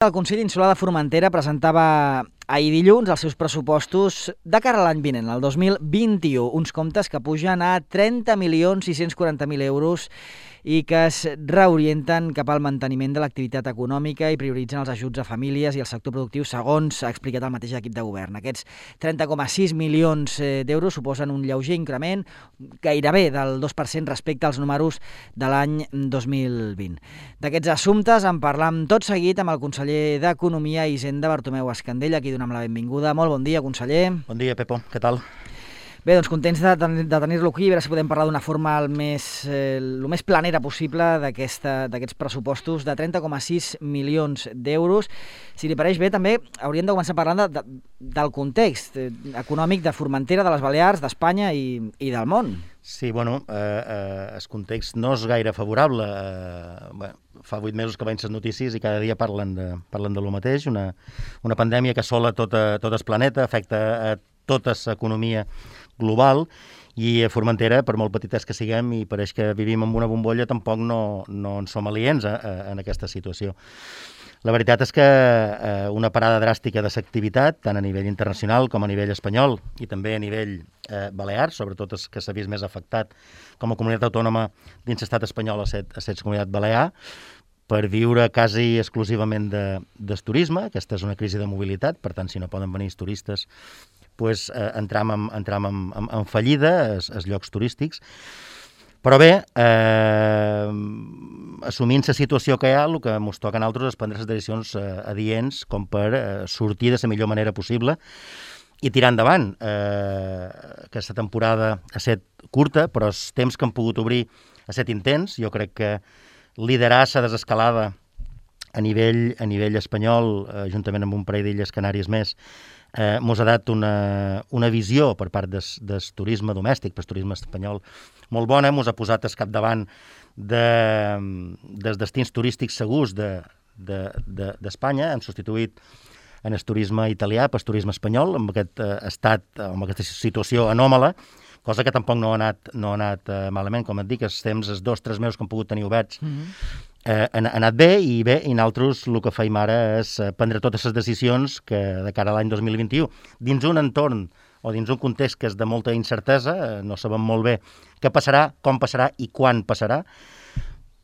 El Consell Insular de Formentera presentava ahir dilluns els seus pressupostos de cara a l'any vinent, el 2021, uns comptes que pugen a 30.640.000 euros i que es reorienten cap al manteniment de l'activitat econòmica i prioritzen els ajuts a famílies i el sector productiu, segons ha explicat el mateix equip de govern. Aquests 30,6 milions d'euros suposen un lleuger increment, gairebé del 2% respecte als números de l'any 2020. D'aquests assumptes en parlam tot seguit amb el conseller d'Economia i Hisenda, Bartomeu Escandell, a qui donem la benvinguda. Molt bon dia, conseller. Bon dia, Pepo. Què tal? Bé, doncs contents de tenir-lo aquí, a veure si podem parlar d'una forma el més planera possible d'aquests pressupostos de 30,6 milions d'euros. Si li pareix bé, també hauríem de començar parlant del context econòmic de Formentera, de les Balears, d'Espanya i del món. Sí, bueno, el context no és gaire favorable. Fa 8 mesos que veiem les notícies i cada dia parlen de lo mateix. Una pandèmia que assola tot el planeta, afecta a tota l'economia global, i a Formentera, per molt petites que siguem i pareix que vivim en una bombolla, tampoc no en som aliens en aquesta situació. La veritat és que una parada dràstica de l'activitat, tant a nivell internacional com a nivell espanyol i també a nivell balear, sobretot els que s'ha vist més afectat com a comunitat autònoma dins l'estat espanyol a ser comunitat balear, per viure quasi exclusivament del turisme. Aquesta és una crisi de mobilitat, per tant, si no poden venir els turistes, pues, entram en fallida els llocs turístics. Però bé, assumint la situació que hi ha, el que ens toca a nosaltres és prendre les decisions adients com per sortir de la millor manera possible i tirar endavant. Aquesta temporada ha estat curta, però els temps que han pogut obrir ha estat intens. Jo crec que liderar la desescalada a nivell espanyol, juntament amb un parell d'illes Canàries més, mos ha dat una visió per part del turisme domèstic, pel turisme espanyol, molt bona. Mos ha posat al capdavant dels destins turístics segurs d'Espanya. Hem substituït en el turisme italià pel turisme espanyol, amb aquest estat, amb aquesta situació anòmala, cosa que tampoc no ha anat malament. Com et dic, els 2-3 mesos que hem pogut tenir oberts han anat bé, i nosaltres el que feim ara és prendre totes les decisions que de cara a l'any 2021, dins un entorn o dins un context que és de molta incertesa, no sabem molt bé què passarà, com passarà i quan passarà,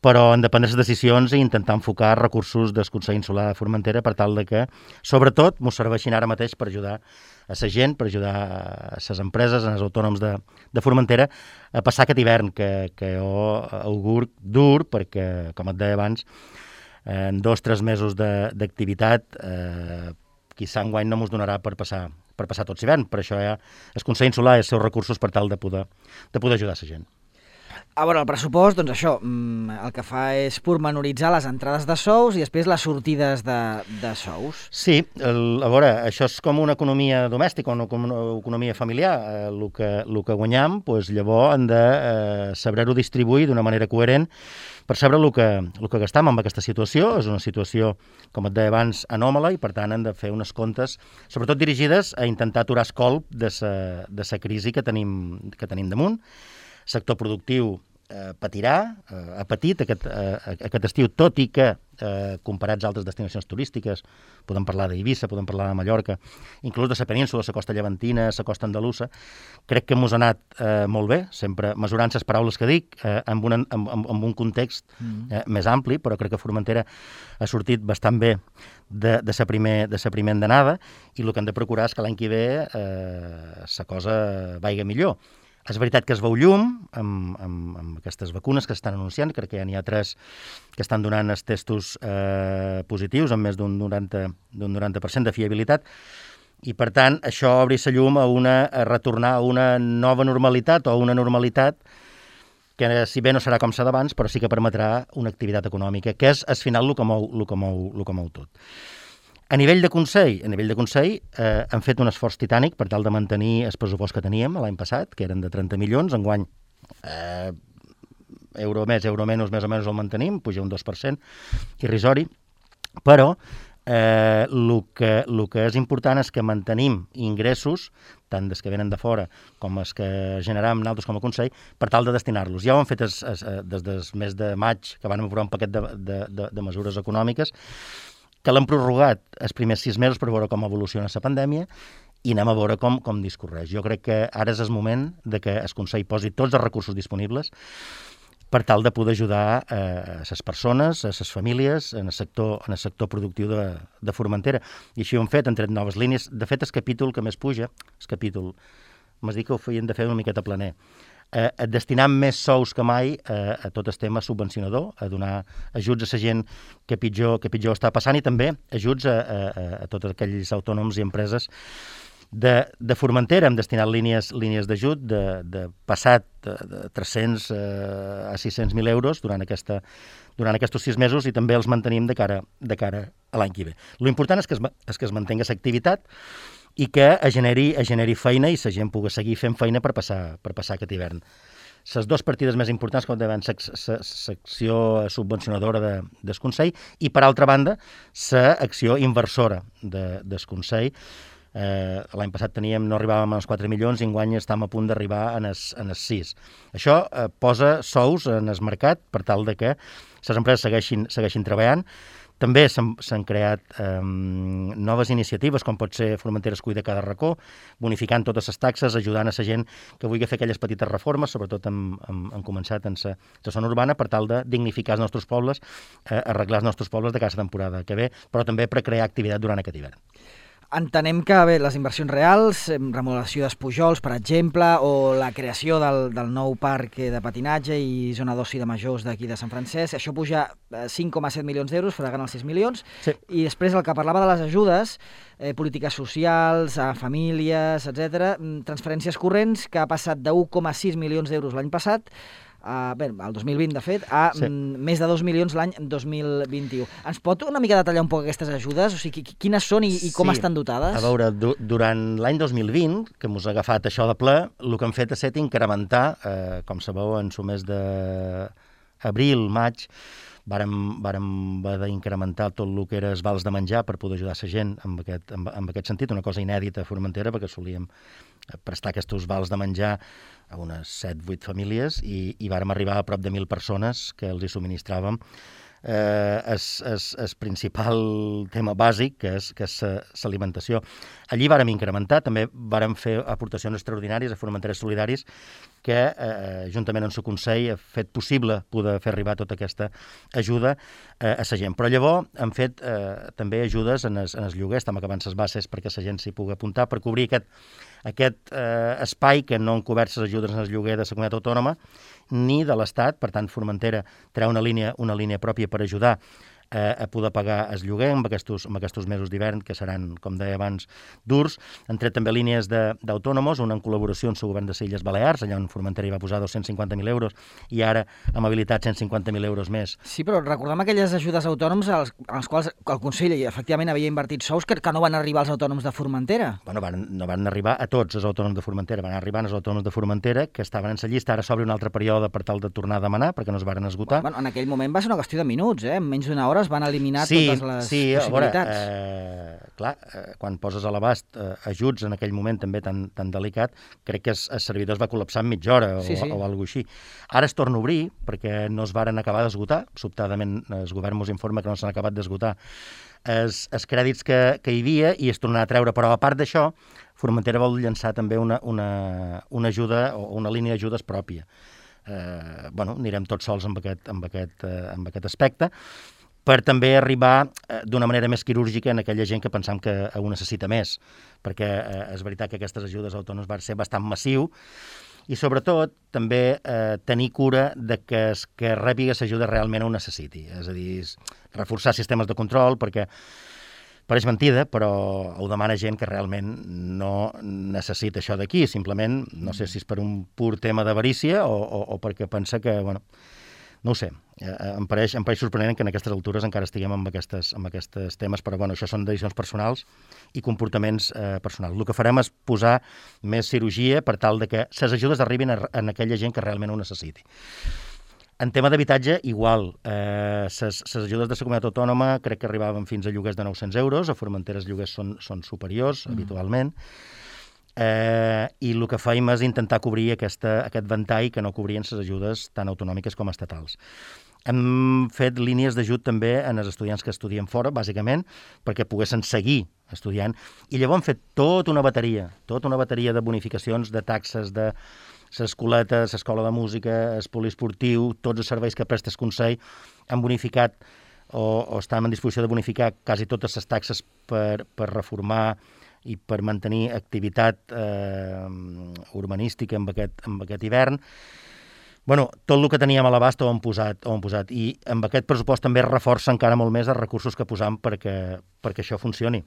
però hem de prendre les decisions i intentar enfocar recursos del Consell Insular de Formentera per tal de que, sobretot, ens serveixin ara mateix per ajudar a la gent, per ajudar a les empreses, als autònoms de Formentera a passar aquest hivern que jo augur dur, perquè, com et deia abans, en 2-3 mesos d'activitat, quizà enguany no ens donarà per passar tot l'hivern. Per això el Consell Insular i els seus recursos per tal de poder ajudar la gent. A veure, el pressupost, doncs això, el que fa és pormenoritzar les entrades de sous i després les sortides de sous. Sí, a veure, això és com una economia domèstica, una economia familiar. El que guanyam, doncs, llavors hem de saber-ho distribuir d'una manera coherent per saber el que gastam en aquesta situació. És una situació, com et deia abans, anòmala, i per tant hem de fer unes comptes, sobretot dirigides a intentar aturar el colp de la crisi que tenim damunt. El sector productiu patirà, ha patit aquest estiu, tot i que comparats a altres destinacions turístiques, podem parlar d'Eivissa, podem parlar de Mallorca, inclús de la península, la costa llevantina, la costa andalusa, crec que mos ha anat molt bé, sempre mesurant les paraules que dic, amb un context més ampli, però crec que Formentera ha sortit bastant bé de la primera andanada, i el que hem de procurar és que l'any que ve la cosa vagi millor. És veritat que es veu llum amb aquestes vacunes que s'estan anunciant. Crec que ja n'hi ha 3 que estan donant els testos positius amb més d'un 90% de fiabilitat, i per tant això obri la llum a retornar a una nova normalitat o a una normalitat que, si bé no serà com la d'abans, però sí que permetrà una activitat econòmica, que és al final el que mou tot. A nivell de Consell, hem fet un esforç titànic per tal de mantenir el pressupost que teníem l'any passat, que eren de 30 milions, enguany euro més, euro menys, més o menys el mantenim, puja un 2%, irrisori, però el que és important és que mantenim ingressos, tant dels que venen de fora com els que generam nosaltres com a Consell, per tal de destinar-los. Ja ho hem fet des del mes de maig, que vam aprovar un paquet de mesures econòmiques, que l'han prorrogat els primers 6 mesos per veure com evoluciona la pandèmia i anem a veure com discorreix. Jo crec que ara és el moment de que el Consell posi tots els recursos disponibles per tal de poder ajudar a les persones, a les famílies, en el sector productiu de Formentera. I així ho hem fet, han tret noves línies. De fet, el capítol que més puja, m'has dit que ho feien de fer una miqueta planer, destinant més sous que mai a tot el tema subvencionador, a donar ajuts a la gent que pitjor està passant i també ajuts a tots aquells autònoms i empreses de Formentera. Hem destinat línies d'ajut de passat de 300 a 600.000 euros durant aquests 6 mesos i també els mantenim de cara a l'any que ve. L'important és que es mantingui l'activitat i que es generi feina i la gent pugui seguir fent feina per passar aquest hivern. Les dues partides més importants, com deien, l'acció subvencionadora del Consell i, per altra banda, l'acció inversora del Consell. L'any passat no arribàvem als 4 milions i enguany estem a punt d'arribar en els 6. Això posa sous en el mercat per tal de que les empreses segueixin treballant. També s'han creat noves iniciatives, com pot ser Formentera es cuida cada racó, bonificant totes les taxes, ajudant a la gent que vulgui fer aquelles petites reformes, sobretot hem començat en la zona urbana, per tal de dignificar els nostres pobles, arreglar els nostres pobles de cada temporada que ve, però també per crear activitat durant aquest hivern. Entenem que les inversions reals, remodelació dels pujols, per exemple, o la creació del nou parc de patinatge i zona d'oci de majors d'aquí de Sant Francesc, això puja 5,7 milions d'euros, fregant els 6 milions, sí. I després el que parlava de les ajudes, polítiques socials, a famílies, etc., transferències corrents, que ha passat de 1,6 milions d'euros l'any passat, el 2020, de fet, a més de 2 milions l'any 2021. Ens pot una mica detallar un poc aquestes ajudes? O sigui, quines són i com estan dotades? A veure, durant l'any 2020, que mos ha agafat això de ple, el que hem fet ha estat incrementar, com sabeu, en el mes d'abril, maig, vàrem haver d'incrementar tot el que era els vals de menjar per poder ajudar la gent en aquest sentit, una cosa inèdita a Formentera, perquè solíem prestar aquests vals de menjar a unes 7-8 famílies i vàrem arribar a prop de 1.000 persones que els hi subministràvem el principal tema bàsic, que és l'alimentació. Allí vàrem incrementar, també vàrem fer aportacions extraordinàries a Formenteres Solidaris, que, juntament amb el Consell, ha fet possible poder fer arribar tota aquesta ajuda a la gent. Però llavors hem fet també ajudes en els lloguers, estem acabant les bases perquè la gent s'hi pugui apuntar, per cobrir aquest espai que no han cobert les ajudes en el lloguer de la comunitat autònoma ni de l'Estat. Per tant, Formentera treu una línia pròpia per ajudar a poder pagar el lloguer en aquests mesos d'hivern, que seran, com deia abans, durs. Han tret també línies d'autònomos, una en col·laboració amb el govern de les Illes Balears, allà on Formentera hi va posar 250.000 euros i ara amb habilitat 150.000 euros més. Sí, però recordem aquelles ajudes a autònoms als quals el Consell efectivament havia invertit sous que no van arribar als autònoms de Formentera. Bueno, no van arribar a tots els autònoms de Formentera, van arribar als autònoms de Formentera que estaven en la llista. Ara s'obre un altre període per tal de tornar a demanar, perquè no es varen esgotar. Bueno, en aquell moment va ser una qüestió de minuts, en menys d'una hora es van eliminar totes les possibilitats. Clar, quan poses a l'abast ajuts en aquell moment també tan delicat, crec que el servidor es va col·lapsar en mitja hora o alguna cosa així. Ara es torna a obrir perquè no es varen acabar d'esgotar, sobtadament el govern ens informa que no s'han acabat d'esgotar els crèdits que hi havia i es tornarà a treure, però a part d'això, Formentera vol llançar també una ajuda o una línia d'ajudes pròpia. Anirem tots sols amb aquest aspecte, per també arribar d'una manera més quirúrgica en aquella gent que pensam que ho necessita més, perquè és veritat que aquestes ajudes autònomes van ser bastant massiu i, sobretot, també tenir cura de que el que rebi l'ajuda realment ho necessiti. És a dir, reforçar sistemes de control, perquè pareix mentida, però ho demana gent que realment no necessita això d'aquí. Simplement, no sé si és per un pur tema d'avarícia o perquè pensa que, no ho sé, em pareix sorprenent que en aquestes altures encara estiguem amb aquests temes, però això són decisions personals i comportaments personals. El que farem és posar més cirurgia per tal de que les ajudes arribin a aquella gent que realment ho necessiti. En tema d'habitatge, igual. Les ajudes de la comunitat autònoma crec que arribaven fins a lloguers de 900 euros, a Formentera els lloguers són superiors, habitualment, i el que fèiem és intentar cobrir aquest ventall que no cobrien les ajudes tan autonòmiques com estatals. hem fet línies d'ajut també en els estudiants que estudien fora, bàsicament, perquè poguessin seguir estudiant. I llavors hem fet tota una bateria de bonificacions, de taxes, de l'escoleta, l'escola de música, el poliesportiu, tots els serveis que presta el Consell, han bonificat o estem en disposició de bonificar quasi totes les taxes per reformar i per mantenir activitat urbanística en aquest hivern. Bueno, tot el que teníem a l'abast ho hem posat. I amb aquest pressupost també reforça encara molt més els recursos que posam perquè això funcioni.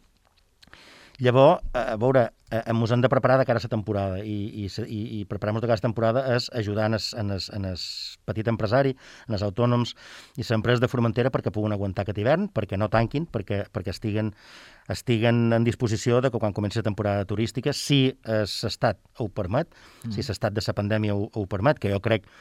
Llavors, a veure, ens hem de preparar de cara a la temporada i preparar-nos de cara a la temporada és ajudar en el petit empresari, en els autònoms i les empreses de Formentera perquè puguin aguantar aquest hivern, perquè no tanquin, perquè estiguen en disposició de que quan comenci la temporada turística, si l'estat ho permet, si l'estat de la pandèmia ho permet, que jo crec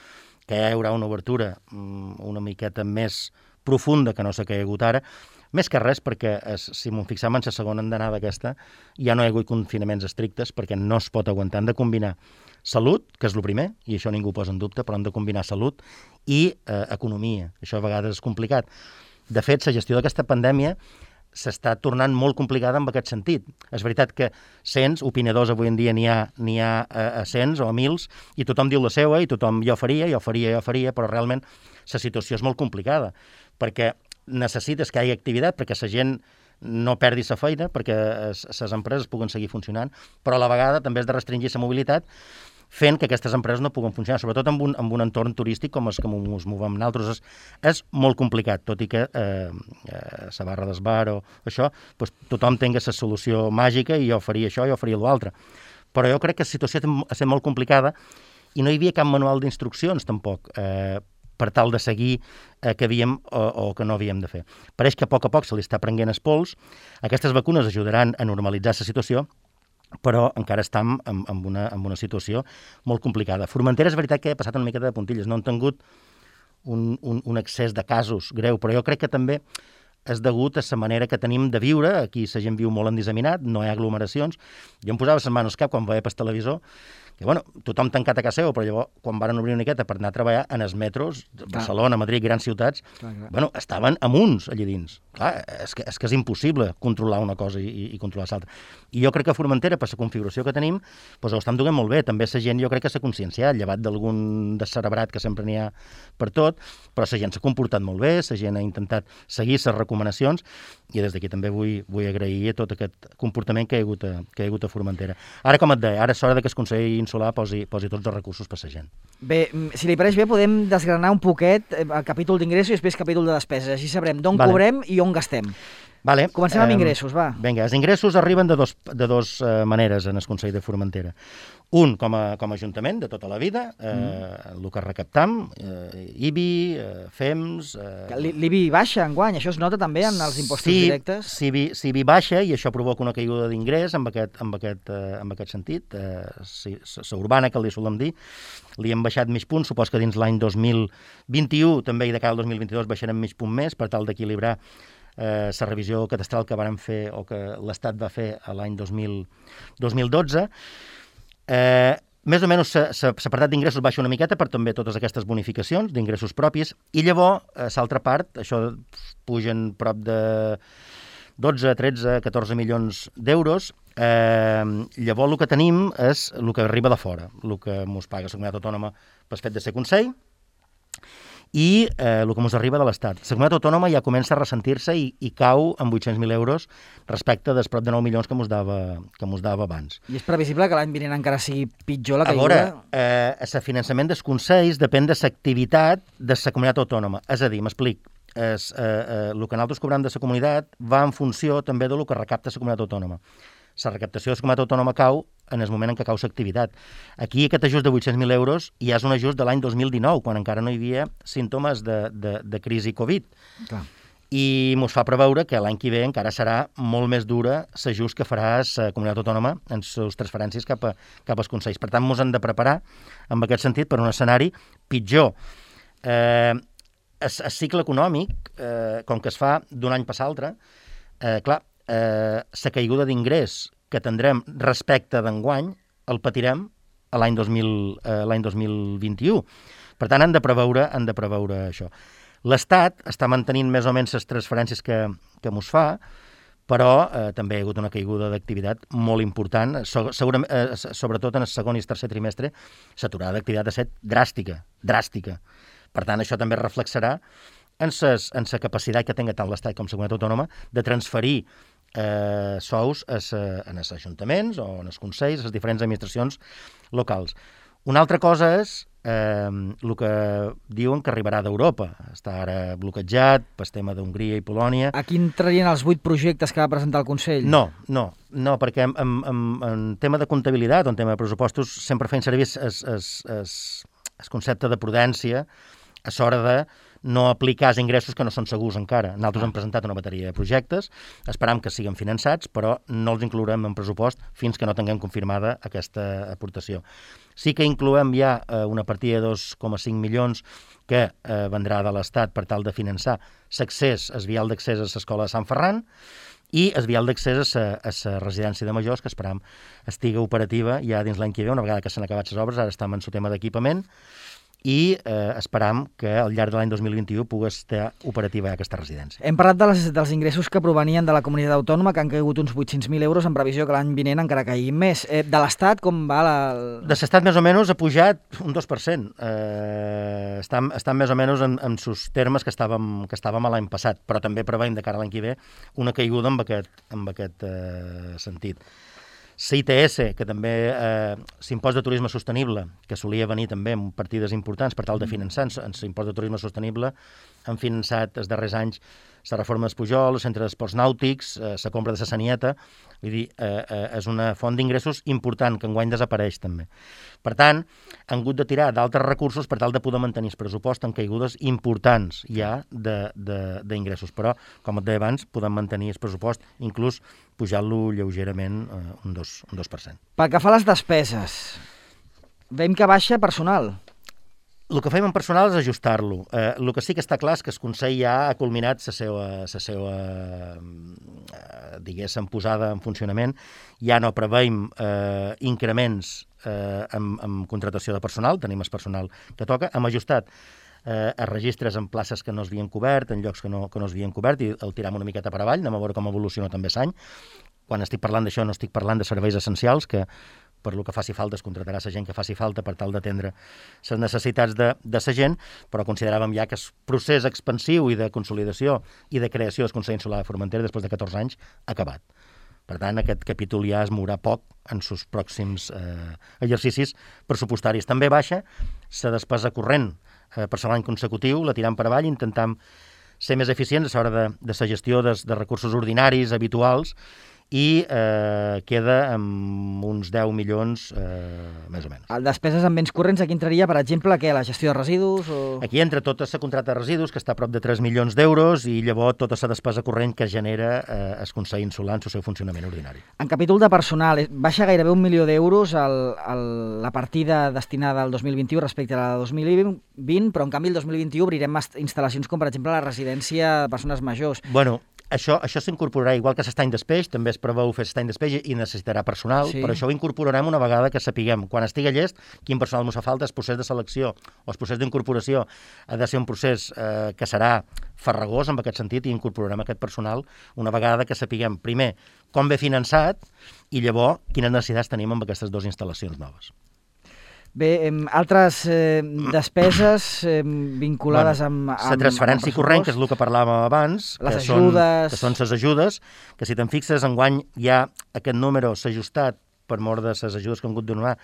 que hi haurà una obertura una miqueta més profunda que no s'ha caigut ara, més que res perquè, si m'ho fixam en la segona andanada aquesta, ja no hi ha hagut confinaments estrictes perquè no es pot aguantar. Hem de combinar salut, que és el primer, i això ningú ho posa en dubte, però hem de combinar salut i economia. Això a vegades és complicat. De fet, la gestió d'aquesta pandèmia s'està tornant molt complicada en aquest sentit. És veritat que cents opinadors avui en dia n'hi ha a cents o a mils i tothom diu la seva i tothom jo faria, però realment la situació és molt complicada perquè necessites que hi hagi activitat perquè la gent no perdi la feina, perquè les empreses puguen seguir funcionant, però a la vegada també has de restringir la mobilitat fent que aquestes empreses no puguen funcionar, sobretot en un entorn turístic com els que ens movem nosaltres. És molt complicat, tot i que la barra del bar o això, doncs, tothom tingui la solució màgica i jo faria això, jo faria l'altre. Però jo crec que la situació ha estat molt complicada i no hi havia cap manual d'instruccions tampoc per tal de seguir que havíem o que no havíem de fer. Pareix que a poc se li està prenent el pols. Aquestes vacunes ajudaran a normalitzar la situació, però encara estem en una situació molt complicada. Formentera és veritat que ha passat una miqueta de puntilles, no han tingut un excés de casos greu, però jo crec que també és degut a la manera que tenim de viure. Aquí la gent viu molt endisseminat, no hi ha aglomeracions. Jo em posava les mans al cap quan veia pel televisor que, bueno, tothom tancat a casa seva, però llavors, quan van obrir una miqueta per anar a treballar en els metros, Barcelona, Madrid, grans ciutats, bueno, estaven amunts allà dins. Clar, és que és impossible controlar una cosa i controlar l'altra. I jo crec que a Formentera, per la configuració que tenim, doncs ho estan duent molt bé. També la gent, jo crec que s'ha conscienciat, llevat d'algun descerebrat que sempre n'hi ha per tot, però la gent s'ha comportat molt bé, la gent ha intentat seguir les recomanacions, i des d'aquí també vull agrair tot aquest comportament que hi ha hagut a Formentera. Ara, com et deia, ara és hora que el Consell Insular posi tots els recursos per la gent. Bé, si li pareix bé, podem desgranar un poquet el capítol d'ingressos i després capítol de despeses. Així sabrem d'on cobrem i on gastem. Vale. Comencem amb ingressos, va. Vinga, els ingressos arriben de dos maneres en el Consell de Formentera. Un, com a Ajuntament de tota la vida, el que recaptam, IBI, FEMS... L'IBI baixa enguany, això es nota també en els impostos directes? Sí, IBI baixa i això provoca una caiguda d'ingrés en aquest sentit. La urbana, que li solem dir, li hem baixat mig punt, supos que dins l'any 2021, també i de cara al 2022 baixarem mig punt més per tal d'equilibrar la revisió catastral que vàrem fer o que l'Estat va fer l'any 2012. Més o menys l'apartat d'ingressos baixa una miqueta per també totes aquestes bonificacions d'ingressos propis i llavors, l'altra part, això pugen prop de 12, 13, 14 milions d'euros. Llavors el que tenim és el que arriba de fora, el que ens paga la comunitat autònoma pel fet de ser Consell, i el que ens arriba de l'Estat. La comunitat autònoma ja comença a ressentir-se i cau en 800.000 euros respecte dels prop de 9 milions que ens dava abans. I és previsible que l'any vinent encara sigui pitjor la caiguda? A veure, el finançament dels consells depèn de l'activitat de la comunitat autònoma. És a dir, m'explic, el que nosaltres cobrem de la comunitat va en funció també del que recapta la comunitat autònoma. La recaptació de la comunitat autònoma cau en el moment en què cau l'activitat. Aquí aquest ajust de 800.000 euros ja és un ajust de l'any 2019, quan encara no hi havia símptomes de crisi Covid. Clar. I ens fa preveure que l'any que ve encara serà molt més dura l'ajust que farà la comunitat autònoma en les transferències cap als consells. Per tant, ens hem de preparar, en aquest sentit, per un escenari pitjor. El cicle econòmic, com que es fa d'un any per l'altre, clar, la caiguda d'ingrés que tindrem respecte d'enguany el patirem l'any 2021. Per tant, han de preveure això. L'Estat està mantenint més o menys les transferències que mos fa, però també hi ha hagut una caiguda d'activitat molt important, sobretot en el segon i el tercer trimestre, l'aturada d'activitat ha estat dràstica. Per tant, això també reflexarà en la capacitat que tenga tant l'Estat com la comunitat autònoma de transferir sous en els ajuntaments o en els consells, les diferents administracions locals. Una altra cosa és el que diuen que arribarà d'Europa. Està ara bloquejat pel tema d'Hongria i Polònia. Aquí entrarien els 8 projectes que va presentar el Consell? No, perquè en tema de comptabilitat o en tema de pressupostos sempre feien servir el concepte de prudència a l'hora de no aplicar els ingressos que no són segurs encara. Nosaltres hem presentat una bateria de projectes, esperam que siguin finançats, però no els inclourem en pressupost fins que no tinguem confirmada aquesta aportació. Sí que incloem ja una partida de 2,5 milions que vendrà de l'Estat per tal de finançar l'accés, el vial d'accés a l'escola de Sant Ferran i el vial d'accés a la residència de majors, que esperam estigui operativa ja dins l'any que ve, una vegada que s'han acabat les obres, ara estem en el tema d'equipament, i esperam que al llarg de l'any 2021 pugui estar operativa aquesta residència. Hem parlat dels ingressos que provenien de la comunitat autònoma, que han caigut uns 800.000 euros, en previsió que l'any vinent encara caiguin més. De l'Estat, com va De l'Estat, més o menys, ha pujat un 2%. Estan més o menys en els termes que estàvem l'any passat, però també preveiem de cara a l'any que ve una caiguda en aquest sentit. CITS, que també l'impost de turisme sostenible, que solia venir també amb partides importants per tal de finançar l'impost de turisme sostenible, han finançat els darrers anys la reforma dels Pujol, el centre d'esports nàutics, la compra de la Sanieta, vull dir, és una font d'ingressos important que enguany desapareix també. Per tant, han hagut de tirar d'altres recursos per tal de poder mantenir el pressupost en caigudes importants ja d'ingressos, però, com et deia abans, podem mantenir el pressupost, inclús pujant-lo lleugerament un 2%. Pel que fa a les despeses, veiem que baixa personal. El que fem en personal és ajustar-lo. El que sí que està clar és que el Consell ja ha culminat la seva diguéssim, posada en funcionament. Ja no preveiem increments en contratació de personal, tenim el personal que toca. Hem ajustat els registres en places que no es havien cobert, en llocs que no es havien cobert, i el tiram una miqueta per avall, anem a veure com evoluciona també l'any. Quan estic parlant d'això no estic parlant de serveis essencials, que per lo que faci falta es contratarà la gent que faci falta per tal d'atendre les necessitats de la gent, però consideràvem ja que el procés expansiu i de consolidació i de creació del Consell Insular de Formentera després de 14 anys ha acabat. Per tant, aquest capítol ja es mourà poc en els pròxims exercicis pressupostaris. També baixa la despesa corrent per l'any consecutiu, la tirant per avall, intentam ser més eficients a l'hora de la gestió de recursos ordinaris, habituals, i queda amb uns 10 milions més o menys. Despeses en béns corrents, aquí entraria, per exemple, la gestió de residus? Aquí entra tota la contracta de residus, que està a prop de 3 milions d'euros, i llavors tota la despesa corrent que genera el Consell Insular en el seu funcionament ordinari. En capítol de personal, baixa gairebé 1 milió d'euros la partida destinada al 2021 respecte a la de 2020, però en canvi el 2021 obrirem instal·lacions com, per exemple, la residència de persones majors. Bueno, això s'incorporarà, igual que l'estany d'espeix, també es preveu fer l'estany d'espeix i necessitarà personal, sí. Però això ho incorporarem una vegada que sapiguem, quan estigui llest, quin personal ens fa falta. El procés de selecció o el procés d'incorporació ha de ser un procés que serà farragós en aquest sentit, i incorporarem aquest personal una vegada que sapiguem, primer, com ve finançat, i llavors quines necessitats tenim amb aquestes dues instal·lacions noves. Bé, altres despeses vinculades amb la transferència corrent, que és el que parlàvem abans, que són les ajudes, que si te'n fixes, enguany ja aquest número s'ha ajustat per mort de les ajudes que han hagut de donar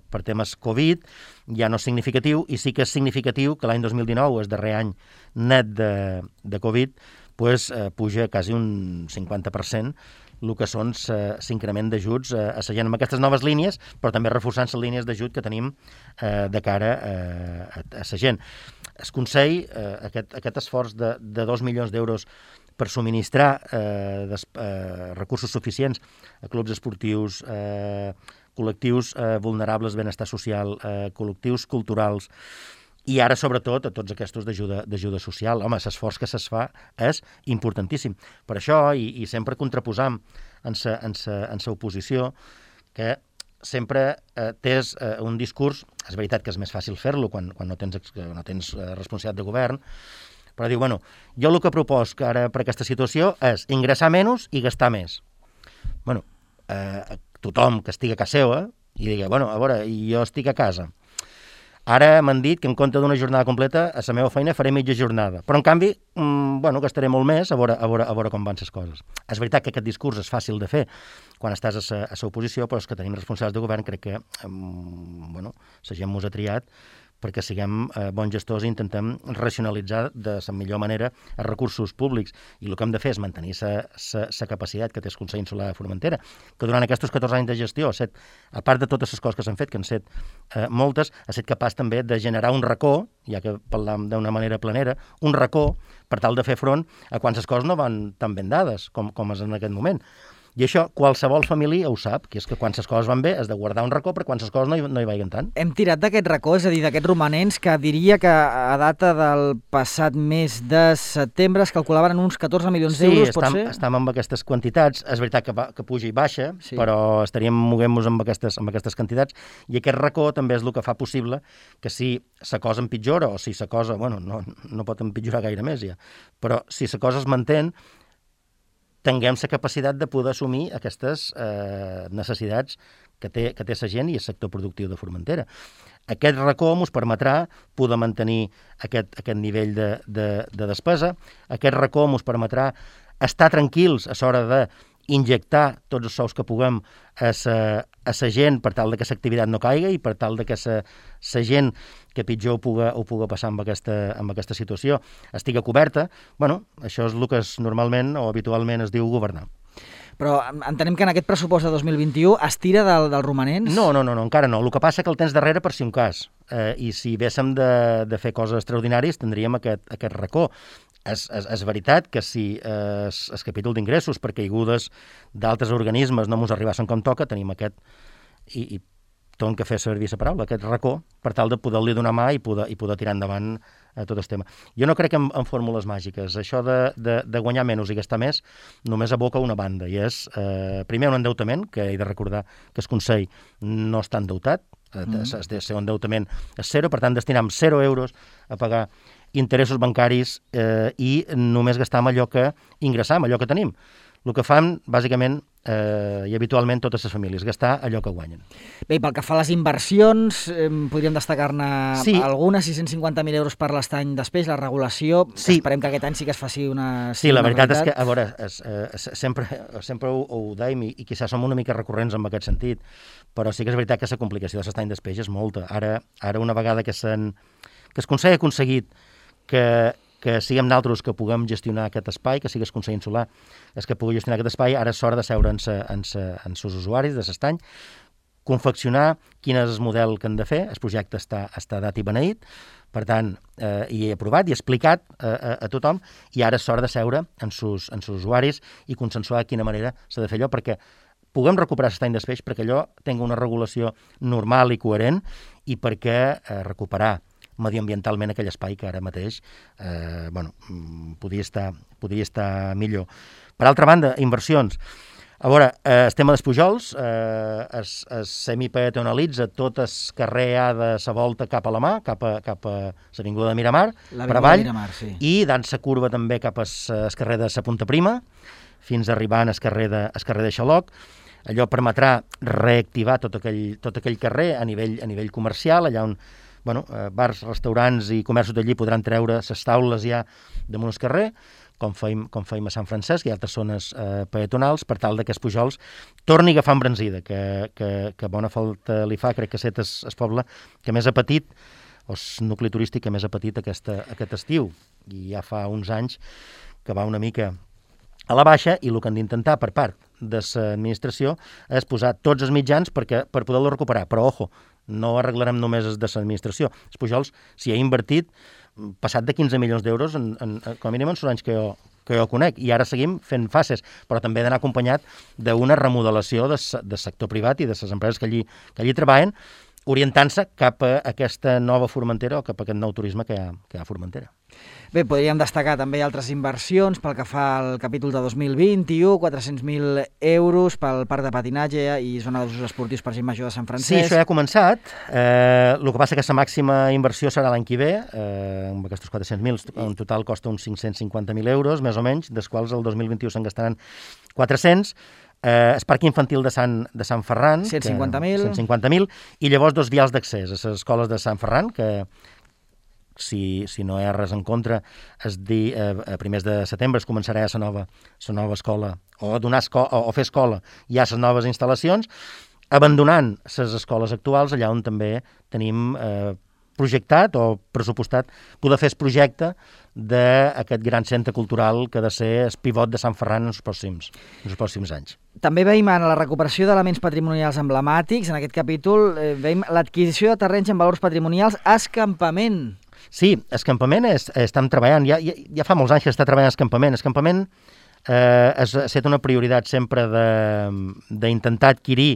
per temes Covid, ja no és significatiu, i sí que és significatiu que l'any 2019, el darrer any net de Covid, puja quasi un 50%, el que són l'increment d'ajuts a la gent amb aquestes noves línies, però també reforçant les línies d'ajut que tenim de cara a la gent. El Consell, aquest esforç de 2 milions d'euros per subministrar recursos suficients a clubs esportius, col·lectius vulnerables, benestar social, col·lectius culturals, i ara, sobretot, a tots aquests d'ajuda social. Home, l'esforç que se's fa és importantíssim. Per això, i sempre contraposam en sa oposició, que sempre tens un discurs, és veritat que és més fàcil fer-lo quan no tens responsabilitat de govern, però diu, bueno, jo el que proposc ara per aquesta situació és ingressar menys i gastar més. Bueno, tothom que estigui a casa seva i digui, bueno, a veure, jo estic a casa. Ara m'han dit que en compte d'una jornada completa a la meva feina faré mitja jornada. Però, en canvi, gastaré molt més a veure com van les coses. És veritat que aquest discurs és fàcil de fer quan estàs a la oposició, però és que tenim responsables de govern, crec que la gent mos ha triat perquè siguem bons gestors i intentem racionalitzar de la millor manera els recursos públics. I el que hem de fer és mantenir la capacitat que té el Consell Insular de Formentera, que durant aquests 14 anys de gestió, a part de totes les coses que s'han fet, que han set moltes, ha estat capaç també de generar un racó, ja que parlam d'una manera planera, un racó per tal de fer front a quan les coses no van tan ben dades com és en aquest moment. I això qualsevol família ho sap, que és que quan les coses van bé has de guardar un racó, però quan les coses no hi vagin tant. Hem tirat d'aquest racó, és a dir, d'aquests romanents, que diria que a data del passat mes de setembre es calculaven en uns 14 milions d'euros, pot ser? Sí, estem amb aquestes quantitats. És veritat que puja i baixa, sí, però estaríem moguent-nos amb aquestes quantitats, i aquest racó també és el que fa possible que si la cosa empitjora, o si la cosa, no pot empitjorar gaire més ja, però si la cosa es manté, tinguem la capacitat de poder assumir aquestes necessitats que té la gent i el sector productiu de Formentera. Aquest racó ens permetrà poder mantenir aquest nivell de despesa, aquest racó ens permetrà estar tranquils a l'hora d'injectar tots els sous que puguem a la gent per tal que l'activitat no caiga i per tal que la gent que pitjor ho puga passar amb aquesta situació estigui coberta. Això és el que normalment o habitualment es diu governar. Però entenem que en aquest pressupost de 2021 es tira dels romanents? No, encara no. El que passa que el tens darrere per si un cas. I si haguéssim de fer coses extraordinàries tindríem aquest racó. És veritat que si el capítol d'ingressos per caigudes d'altres organismes no ens arribassin com toca, tenim aquest, i tornem que fer servir la paraula, aquest racó, per tal de poder-li donar mà i poder tirar endavant tot el tema. Jo no crec en fórmules màgiques. Això de guanyar menys i gastar més només aboca una banda, i és, primer, un endeutament, que he de recordar que el Consell no està endeutat, el seu endeutament és zero, per tant, destinem 0 euros a pagar interessos bancaris i només gastar amb allò que ingressam, allò que tenim. El que fan, bàsicament, i habitualment totes les famílies, gastar allò que guanyen. Bé, i pel que fa a les inversions, podríem destacar-ne algunes, 650.000 euros per l'estany després, la regulació, esperem que aquest any sí que es faci una Sí, la veritat és que, a veure, sempre ho dèiem i quizás som una mica recurrents en aquest sentit, però sí que és veritat que la complicació de l'estany després és molta. Ara una vegada que el Consell ha aconseguit que siguem nosaltres que puguem gestionar aquest espai, que sigui el Consell Insular que pugui gestionar aquest espai, ara és hora de seure en els usuaris de l'estany, confeccionar quin és el model que han de fer. El projecte està dat i beneït, per tant, i aprovat i explicat a tothom, i ara és hora de seure en els usuaris i consensuar de quina manera s'ha de fer allò, perquè puguem recuperar l'estany d'espeix, perquè allò tingui una regulació normal i coherent, i perquè recuperar mediambientalment aquell espai que ara mateix podria estar millor. Per altra banda, inversions. A veure, el tema dels Pujols es semipeatonalitza tot el carrer A de la volta cap a la mà, cap a l'avinguda de Miramar, per avall, i dant la curva també cap al carrer de la Punta Prima, fins arribant al carrer de Xaloc. Allò permetrà reactivar tot aquell carrer a nivell comercial, allà on bars, restaurants i comerços d'allí podran treure les taules ja damunt el carrer, com feim a Sant Francesc i altres zones peatonals, per tal que els Pujols torni a agafar embranzida, que bona falta li fa. Crec que aquest és el poble que més ha patit, o el nucli turístic que més ha patit aquest estiu, i ja fa uns anys que va una mica a la baixa, i el que han d'intentar per part de l'administració és posar tots els mitjans per poder-lo recuperar. Però, ojo, no arreglarem només de l'administració. Els Pujols s'hi ha invertit passat de 15 milions d'euros, com a mínim en els anys que jo conec, i ara seguim fent fases, però també ha d'anar acompanyat d'una remodelació del sector privat i de les empreses que allí treballen, orientant-se cap a aquesta nova Formentera o cap a aquest nou turisme que hi ha a Formentera. Bé, podríem destacar també altres inversions pel que fa al capítol de 2021, 400.000 euros pel parc de patinatge i zona d'usos esportius per gent major de Sant Francesc. Sí, això ja ha començat. El que passa que la màxima inversió serà l'any que ve, amb aquests 400.000, en total costa uns 550.000 euros, més o menys, dels quals el 2021 se'n gastaran 400. El parc infantil de Sant Ferran, 150.000, i llavors 2 vials d'accés a les escoles de Sant Ferran, que si no hi ha res en contra, a primers de setembre es començarà la nova escola, o fer escola ja a les noves instal·lacions, abandonant les escoles actuals, allà on també tenim projectat o pressupostat poder fer el projecte d'aquest gran centre cultural que ha de ser el pivot de Sant Ferran en els pròxims anys. També veiem en la recuperació d'elements patrimonials emblemàtics. En aquest capítol veiem l'adquisició de terrenys amb valors patrimonials a escampament. Sí, escampament estem treballant. Ja fa molts anys que està treballant escampament. Escampament ha estat una prioritat sempre d'intentar adquirir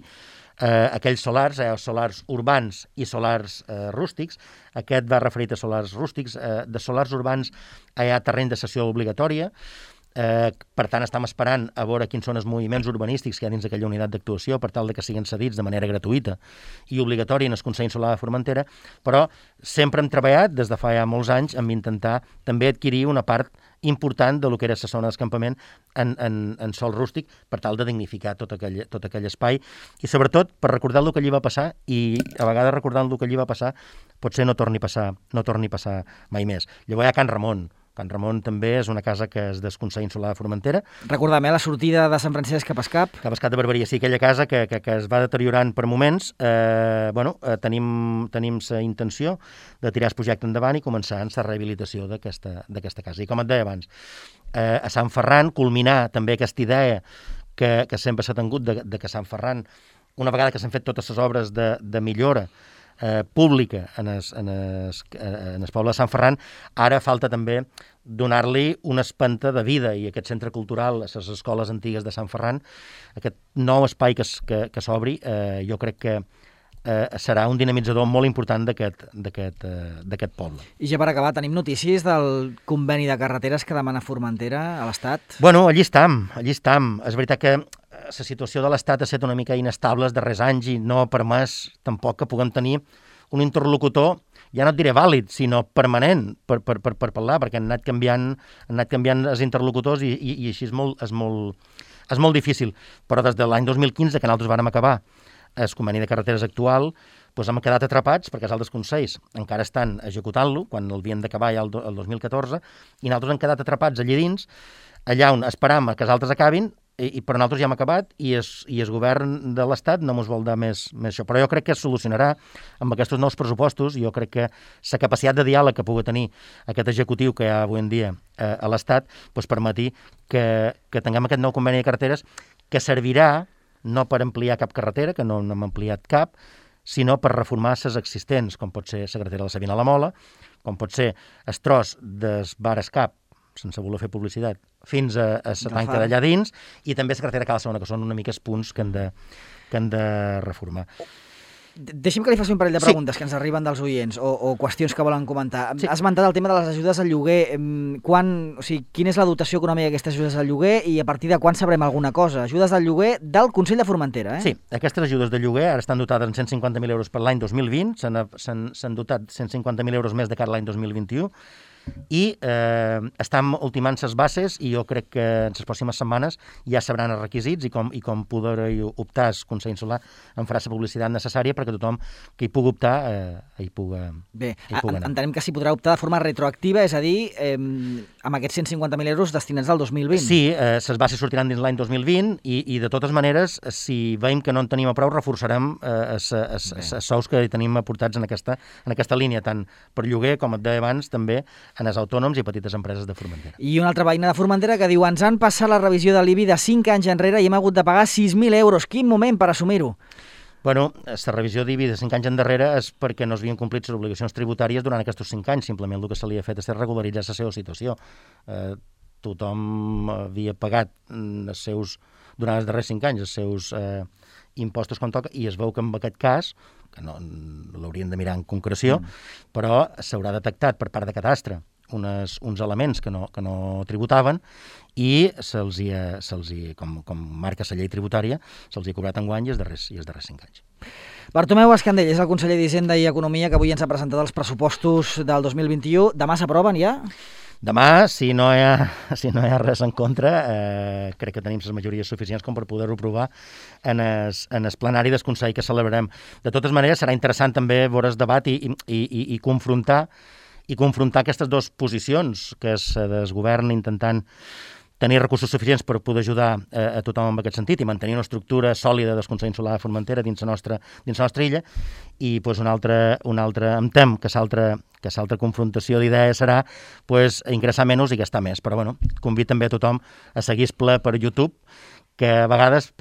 aquells solars urbans i solars rústics. Aquest va referit a solars rústics. De solars urbans hi ha terreny de cessió obligatòria. Per tant, estem esperant a veure quins són els moviments urbanístics que hi ha dins d'aquella unitat d'actuació per tal de que siguin cedits de manera gratuïta i obligatòria en el Consell Insular de Formentera, però sempre hem treballat des de fa ja molts anys amb intentar també adquirir una part important de lo que era la zona d'escampament en sòl rústic per tal de dignificar tot aquell espai i sobretot per recordar el que allí va passar i a vegades recordant el que allí va passar potser no torni a passar mai més. Llavors hi ha Can Ramon. Can Ramon també és una casa que és del Consell Insular de Formentera. Recordem, la sortida de Sant Francesc cap a Escap. Cap a Escap de Barberia, sí, aquella casa que es va deteriorant per moments. Tenim la intenció de tirar el projecte endavant i començar en la rehabilitació d'aquesta casa. I com et deia abans, a Sant Ferran, culminar també aquesta idea que sempre s'ha tingut de que Sant Ferran, una vegada que s'han fet totes les obres de millora pública en el poble de Sant Ferran, ara falta també donar-li una espenta de vida i aquest centre cultural, a les escoles antigues de Sant Ferran, aquest nou espai que s'obri, jo crec que serà un dinamitzador molt important d'aquest poble. I ja per acabar, tenim notícies del conveni de carreteres que demana Formentera a l'Estat? Bueno, allí estam. És veritat que la situació de l'Estat ha estat una mica inestable els darrers anys i no ha permès tampoc que puguem tenir un interlocutor, ja no et diré vàlid, sinó permanent per parlar, perquè han anat canviant els interlocutors i així és molt difícil. Però des de l'any 2015, que nosaltres vàrem acabar el conveni de carreteres actual, doncs hem quedat atrapats perquè els altres consells encara estan executant-lo, quan l'havien d'acabar ja el 2014, i nosaltres hem quedat atrapats allà dins, allà on esperam que els altres acabin, però nosaltres ja hem acabat i el govern de l'Estat no ens vol dar més això. Però jo crec que es solucionarà amb aquests nous pressupostos. Jo crec que la capacitat de diàleg que pugui tenir aquest executiu que hi ha avui en dia a l'Estat permeti que tinguem aquest nou conveni de carreteres que servirà no per ampliar cap carretera, que no n'hem ampliat cap, sinó per reformar les existents, com pot ser la carretera de la Sabina a la Mola, com pot ser el tros del bar Escap, sense voler fer publicitat, fins a la tanca d'allà dins, i també la carretera Cala Segona, que són una mica els punts que han de reformar. Deixi'm que li faci un parell de preguntes que ens arriben dels oients o qüestions que volen comentar. Sí. Has esmentat el tema de les ajudes al lloguer. Quina és la dotació econòmica d'aquestes ajudes al lloguer i a partir de quan sabrem alguna cosa? Ajudes al lloguer del Consell de Formentera, Sí, aquestes ajudes de lloguer ara estan dotades en 150.000 euros per l'any 2020, s'han dotat 150.000 euros més de cara a l'any 2021, i estem ultimant les bases i jo crec que en les pròximes setmanes ja sabran els requisits i com poder optar el Consell Insular en farà la publicitat necessària perquè tothom que hi pugui optar hi pugui anar. Entenem que s'hi podrà optar de forma retroactiva, és a dir, amb aquests 150.000 euros destinats al 2020. Sí, les bases sortiran dins l'any 2020 i de totes maneres, si veiem que no en tenim a prou, reforçarem els sous que tenim aportats en aquesta línia, tant per lloguer, com et deia abans, també en els autònoms i petites empreses de Formentera. I una altra veïna de Formentera que diu: ens han passat la revisió de l'IBI de 5 anys enrere i hem hagut de pagar 6.000 euros. Quin moment per assumir-ho? Bueno, la revisió d'IBI de 5 anys endarrere és perquè no s'havien complit les obligacions tributàries durant aquests 5 anys. Simplement el que se li ha fet és regularitzar la seva situació. Tothom havia pagat durant els darrers 5 anys els seus impostos com toca i es veu que en aquest cas que no l'haurien de mirar en concreció, però s'haurà detectat per part de Cadastre uns elements que no tributaven i com marca la llei tributària, se'ls ha cobrat enguany i els darrers 5 anys. Bartomeu Escandell és el conseller d'Hisenda i Economia que avui ens ha presentat els pressupostos del 2021. Demà s'aproven ja? Demà, si no hi ha res en contra, crec que tenim les majories suficients com per poder-ho aprovar en el plenari del Consell que celebrarem. De totes maneres, serà interessant també veure el debat i confrontar aquestes dues posicions, que és del govern intentant tenir recursos suficients per poder ajudar a tothom en aquest sentit i mantenir una estructura sòlida del Consell Insular de Formentera dins la nostra illa, i un altre em tem que l'altra confrontació d'idees serà ingressar menys i gastar més. Però convido també a tothom a seguir el ple per YouTube, que a vegades,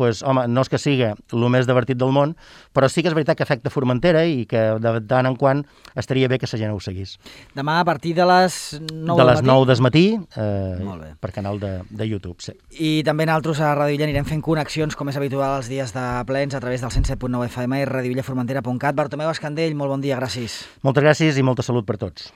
no és que sigui el més divertit del món, però sí que és veritat que afecta Formentera i que de tant en quant estaria bé que la gent ho seguís. Demà a partir de les 9 de les 9 del matí, per canal de YouTube, sí. I també nosaltres a Ràdio Illa anirem fent connexions, com és habitual els dies de plens, a través del 107.9 FM i radioillaformentera.cat. Bartomeu Escandell, molt bon dia, gràcies. Moltes gràcies i molta salut per tots.